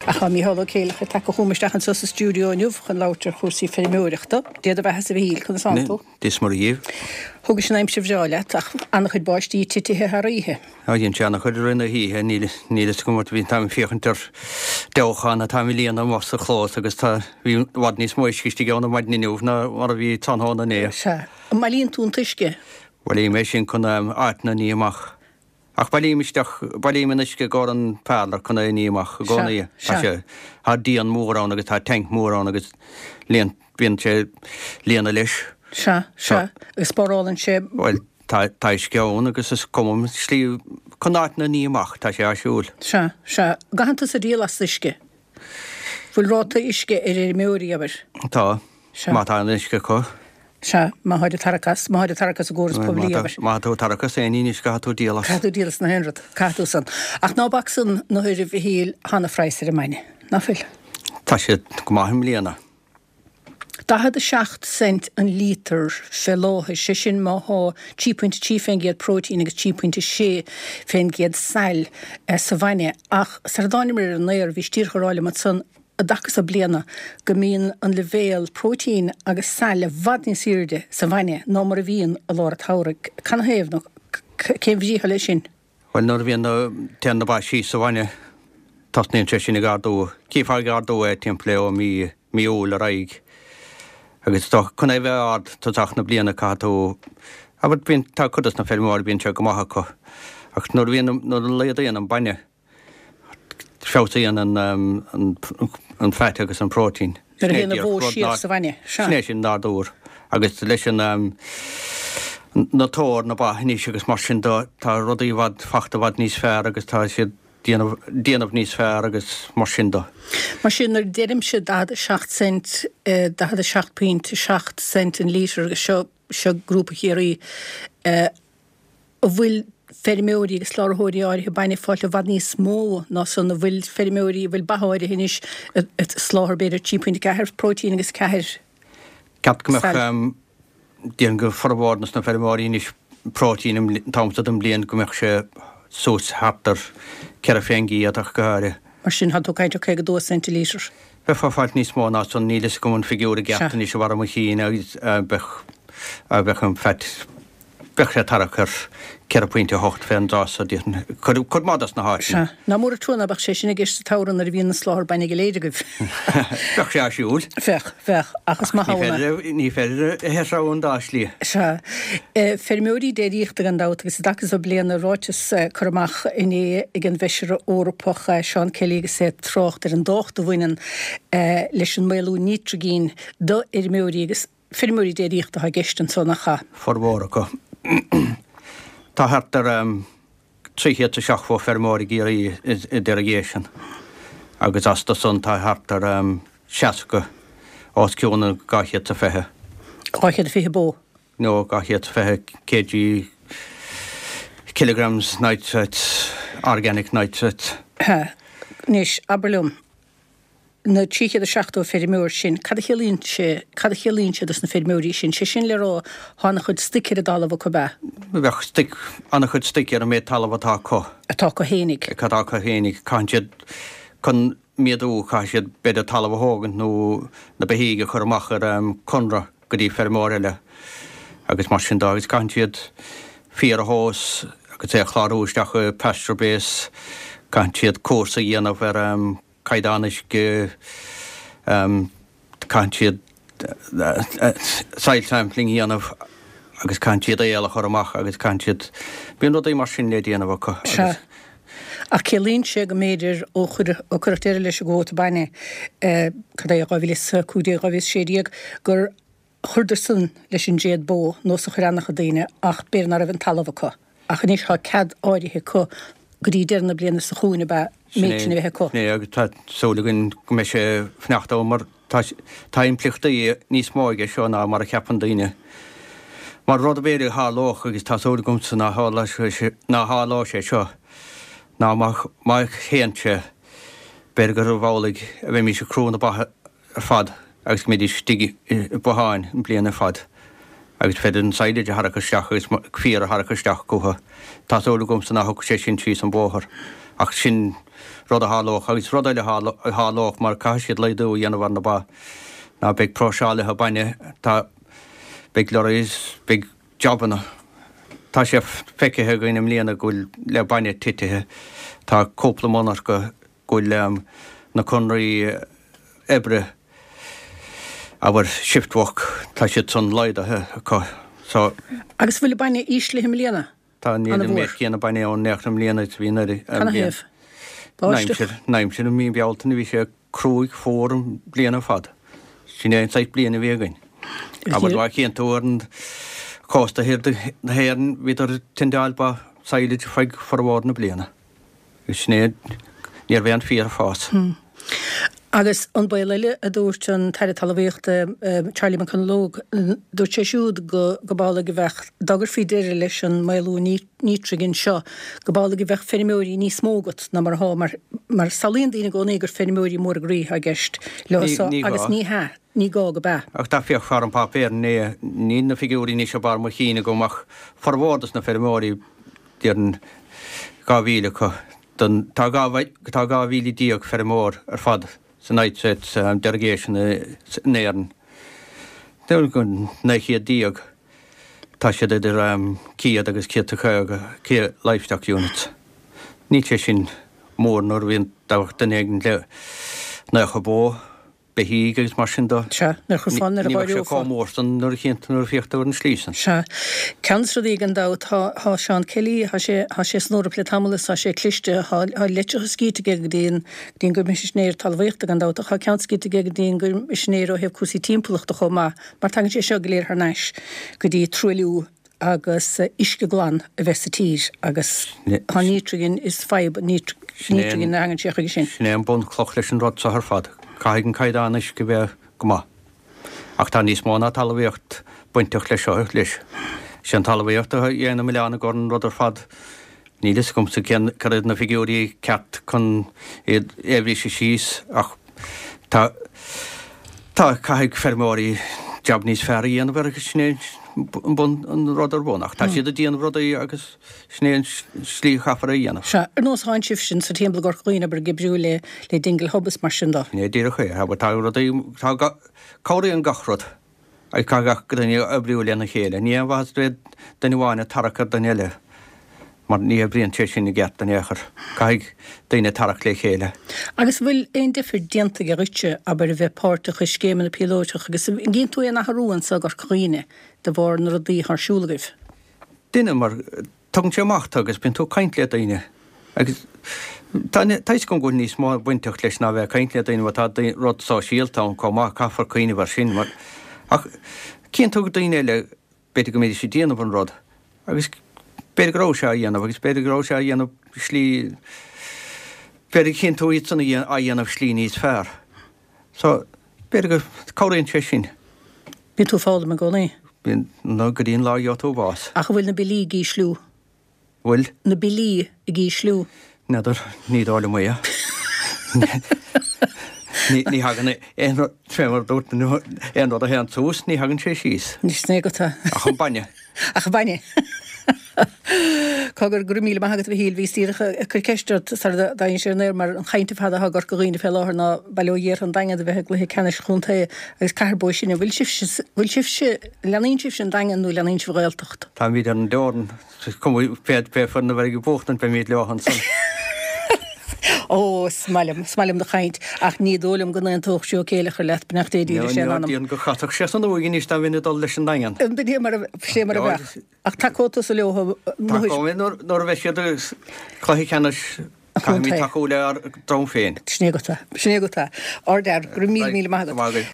Ach tá Mícheál Ó Céileachair tagtha chugam isteach anseo sa stiúideo inniu chun labhairt ar chúrsaí feirmeoireachta. Dé do bheathasa a Mhichíl, conas tánn tú? Dia is Muire dhíbh. Thugais an aimsir bhreá leat, ach an-chuid báistí titithe thar oíche. Á, dhein sé an-chuid i rith na hoíche, níl níl fhios agam, bhí, táim ag féachaint ar dabhachán atá á líonadh amuigh sa chlós agus tá, bhí i bhfad níos mó uisce istigh ann ar maidin inniu ná mar a bhí tráthnóna inné. Sea. An mbailíonn tú an t-uisce? Bhailím é sin chun áiteanna a ní amach. Ach bailím isteach, bailím an uisce i gcomhair an parlour chun é a ní amach i gcónaí. Tá sé, tá díon mór ann agus tá tank mór ann agus líon, bíonn sé líonadh leis. Sea, sea. Agus spárálann sé. Bhuel, tá, tá uisce ann agus is cuma slí chun áiteanna a ní amach, tá sé áisiúil. Sea, sea. An gcaitheann tusa díol as uisce? Bhfuil ráta uisce ar fheirmeoirí, abair? Tá. Sea. Má tá an uisce acu. Sea, má tháid ag tarrac as, má tháid ag tarrac as an gcóras poiblí, abair. Má tá tú ag tarrac as aon ní anois, caithfidh tú díol as. Caithfidh tú díol as na haon rud, caithfidh tú san. Ach ná bac san na huairibh, a Mhichíl, tá ana-phraghas ar an mbainne, ná fuil? Tá sé go maith i mbliana. 47 cent an líotar fé láthair, sé sin má thá 3.3% próitéin agus 3.6% sail sa bhainne. Ach sar a dtáinimir ar an aer, bhís díreach ag rá liom ansan, i dtaca so bliana go mbíonn an leibhéal próitéin agus sail i bhfad níos aoirde sa bhainne ná mar a bhíonn i lár an tsamhraidh. Canathaobh nó cén bhrí atá leis sin? Bhuel, nuair a bhíonn na, téann na ba síos sa bhainne, tosnaíonn sé sin ag ardú. Chífeá ag ardú é timpeall é ó mí, mí Iúil ar aghaidh. Agus dá, chun é a bheith ard tosach na bliana caithfidh tú, abair, bíonn, tá cuid dos na feirmeoirí, bíonn sé go maith acu. Ach nuair a bhíonn, nuair a laghdaíonn an bainne, Feabhsaíonn an fat agus an próitéin. Nuair a théann an bhó síos sa bhainne. Sea. Sin é sin nádúr. Agus leis an na tóir na ba anois agus mar sin de, tá rudaí i bhfad, fachta i bhfad níos fearr agus tá siad déanamh, déanamh níos fearr agus mar sin de. Mar sin, nuair a deirimse 47 cent, 47.7 cent an lítear agus seo, seo Grúpa Chiarraí, an bhfuil feirmeoirí agus soláthróirí áirithe bainne ag fáilt i bhfad níos mó ná san, an bhfuil feirmeoirí, an bhfuil ba áirithe anois ag soláthar b'fhéidir 3.4 próitéin agus 4 Ceapaim go mbeadh, déarfainn go formhór dos na feirmeoirí anois próitéin an t-am seo den bhliain go mbeadh sé suas thart ar 4 fén gcéad ach go háirithe. Mar sin, tá tú ag caint ar 52 cent an lítear. Bheifeá ag fáilt níos mó ná san, níl fhios agam an figiúr i gceart anois i bharr mo chinn agus bheadh, bheadh an fat, Bheadh sé ag tarrac ar 4.8 fén dtráth so, déarfainn. Cuid maith dos na háiteanna. Sea. Nach mór an trua ná beadh sé sin i gceist sa tsamhradh nuair a bhíonn an soláthar bainne go léir agaibh. Bheadh sé áisiúil. Bheadh, bheadh. Ach is maith ann é. Ní féidir a threabhadh an dá shlí. Sea. Feirmeoirí déiríochta gan dabht agus i dtaca so bliana, ráiteas curtha amach inné ag an bhFeisire Eorpach Seán Kelly agus é ag trácht ar an dtábhacht a bhaineann leis an maolú nítrigine do fheirmeoirí agus Feirmeoirí déiríochta atá i gceist anso, nach ea? Formhór acu. Tá thart ar 370 feirmeoir i gCiarraí i delegation agus astu san tá thart ar 60 os cionn an 220. 220 bó? No, 220 kg, kilograms nitrates, organic nitrates. Sea. Anois, abair liom, na 370 feirmeoir sin, cad a chiallaíonn sé, cad a chiallaíonn sé dos na feirmeoirí sin? Sé sin le rá, tá an-chuid stoic ar an dtalamh acu, ab ea? Bheadh stoic, an-chuid stoic ar an méid talamh atá acu. Atá acu fhéinig. Atá acu fhéinig. Caitheann siad, chun méadú, caithfidh siad b'fhéidir talamh a thógaint nó na beithígh a chur amach ar conradh go dtí feirmeoir eile agus mar sin de agus caitheann siad féar a thomhas agus é a chlárú isteach i PastureBase, caitheann siad cúrsa a dhéanamh ar caighdeán uisce, caitheann siad soil sampling a dhéanamh agus caitheann siad aol a chur amach agus caitheann siad, bíonn rudaí mar sin le déanamh acu agus. Sea. Ach ciallaíonn sé go mb'fhéidir ó cuireadh deireadh leis an gcuóta bainne, cad é, 2015, 2016, gur Chuireadar san leis an dtréad bó, nós a chuir an-chuid daoine, ach b'fhéidir ná raibh an talamh acu. Ach anois tá cead áirithe acu go dtí deireadh na bliana so chugainn ab ea, an méid sin a bheith acu. Sin é, agus tá súil againn go mbeidh sé fanacht ann mar tá, tá impleachtaí níos mó aige seo ná mar a cheapann daoine. Mar rud b'fhéidir a tharlódh, agus tá súil agamsa ná tharlóidh sé seo, ná má, má théann sé, b'fhéidir gurbh amhlaidh a bheimís ag crú na ba ar fad agus go mbeidís istigh i botháin an bliain ar fad agus féidir an silage a tharrac isteach agus féar a tharrac isteach chucu. Tá súil agamsa ná thiocfaidh sé sin síos an bóthar ach sin. rud a tharlódh agus rud eile a tharlódh mar caithfidh siad laghdú a dhéanamh ar na ba ná beidh próiseálaithe bainne, tá, beidh lorries, beidh jabanna. Tá sé feicthe againn i mbliana go bhfuil le bainne titithe, tá cúpla monarcha go bhfuil na conraí oibre, abair shift work, tá siad san laghdaithe acu so. Agus bhfuil an bainne íslithe i mbliana? Tá, níl an méid céanna bainne ann in aon chor i mbliana is a bhí anuraidh. Canathaobh? Báisteach? An aimsir, i mí Bealtaine bhí sé cruaidh fuar an bhliain ar fad. Sin é an saghas bliain a bhí againn. Abair má chíonn tú ar an chósta thiar de na hÉireann bhíodar ag tendeáil ba silage feadh formhór na bliana. Agus sin é, ní raibh aon féar ag fás. Agus an baol eile a dúirt an tAire Talmhaíochta Charlie McConalogue, dúirt sé siúd go gurb amhlaidh a bheadh, dá gcuirfí deireadh leis an maolú nítrigine seo, gurb amhlaidh a bheadh feirmeoirí níos mó agat ná mar atá, mar mar samhlaíonn daoine i gcónaí gur feirmeoirí móra groí atá i gceist leo seo agus ní hea, ní gá go b'ea. Ach dá bhféachfá ar an bpáipéar inné, níl na figiúirí anois i mbarr mo chinn agam ach formhór dos na feirmeoirí, déarfainn 2,000 acu, don, tá tá 12,000 feirmeoir ar fad sa nitrate derogation in Éirinn. Déarfainn 900 tá siad idir 100 agus 150 livestock units. Níl sé sin mór nuair a bhíonn duine éigin le 90 bó. beithígh agus mar sin de. Sea, nuair a chuirfeá, nuair a Ní bheadh sé dh'áireofá. chomh mór san nuair a chíonn tú, nuair a féach tú ar an slí san. Sea. Ceann de na rudaí gan dabht, tá, tá Seán Kelly, tá sé, tá sé san Eoraip le tamall is tá sé cliste, tá, tá litreacha scríte aige go dtí an, go dtí an gCoimisinéir Talmhaíochta gan dabht ach tá ceann scríte aige go dtí an gCoimisinéir ó thaobh cúrsaí timpeallachta chomh maith mar tagann sé seo go léir thar n-ais go dtí truailliú agus uisce glan a bheith sa tír agus tá nítrigin, is fadhb nítrigin a thagann sé chuige sin. Sin é an bunchloch leis an rud seo ar fad. Caithfidh an caighdeán uisce bheith go maith. Ach tá níos mó ná talmhaíocht bainteach leis seo leis. Is é an talmhaíocht a dhéanann an milleán i gcur an rud ar fad. Níl fhios agamsa cén, cad iad na figiúirí ceart chun iad a bhriseadh síos ach tá, tá, caithfidh feirmeoirí jab níos fearr a dhéanamh air agus sin é an bun, an rud ar bun ach tá siad ag déanamh rudaí agus sin é an slí a chaithfear é a dhéanamh. Sea, ar nós tánn sibhse sa timpeall i gCorca Dhuibhne, abair, ag oibriú le, le Dingle Hub is mar sin de. Sin é díreach é, abair, tá rudaí, tá, cabhraíonn gach rud. Agus caithfidh gach duine oibriú lena chéile. Ní aon mhaitheas bheith duine amháin ag tarrac ar duine eile, mar ní oibríonn sé sin i gceart in aon chor. Caithfidh daoine tarrac le chéile. Agus an bhfuil aon difir déanta aige dhuitse, abair, a bheith páirteach i scéimeanna píolóiteach agus an gcíonn tú aon athrú anso i gCorca Dhuibhne de bharr na rudaí atá ar siúl agaibh? Duine, mar Tugann sé amach tú agus bíonn tú ag caint le daoine agus tá tá fhios agam go bhfuil níos mó bainteach leis ná bheith ag caint le daoine mar tá rud sóisialta ann chomh maith, caithfear cuimhneamh air sin mar ach cíonn tú daoine eile b'fhéidir go mbeidís ag déanamh an rud agus b'fhéidir go raibh sé á dhéanamh agus b'fhéidir go raibh sé á dhéanamh slí b'fhéidir go chíonn tú iad san á dhéanamh slí níos fearr. So b'fhéidir go cabhraíonn sé sin. Bíonn tú ag foghlaim i gcónaí. Bíonn, nó go dtí an lá a gheobhaidh tú bás. Ach an bhfuil na billí ag ísliú? Bhfuil? Na billí ag ísliú? N'fheadar, ní dóigh liom é. Ní thagann aon rud, fé mar a dúirt, aon rud a théann suas, ní thagann sé síos. Sin é agat é. Ach an bainne. Ach an bainne. Cogar, go raibh míle maith agat a Mhichíl, bhíos díreach ag cur ceist ort sara dtéimis ar an aer mar an chaint ar fad atá i gCorca Dhuibhne fé láthair ná Baile Ó Ghiorra an Daingean a bheith i gcluiche ceannais chontae agus Cathair Bó Sine. Bhfuil sibhse, bhfuil sibhse, leanaíonn sibhse an Daingean nó leanaíonn sibh an Ghaeltacht? Táimid ar an dteorann. Is cuma pé foireann a bheidh ag buachtaint beimid leo ansan. Ó, is maith liom, is maith liom do chaint, ach ní dóigh liom go n-aontódh Joe Céileachair leat, beannacht Dé dílis é an anam. Déarfainn go gcasfadh sé san uaigh anois dá mbeinn ag dul leis an Daingean. B'in é mar a, sé mar a bheadh. Ach tacóidh tusa leo Tacóidh mé nuair a bheidh siad i gcluiche ceannais, caithfimid tacú le ár dtreabh féin. Sin é agat é, sin é agat é. Ardfhear, go raibh míle, míle maith agat.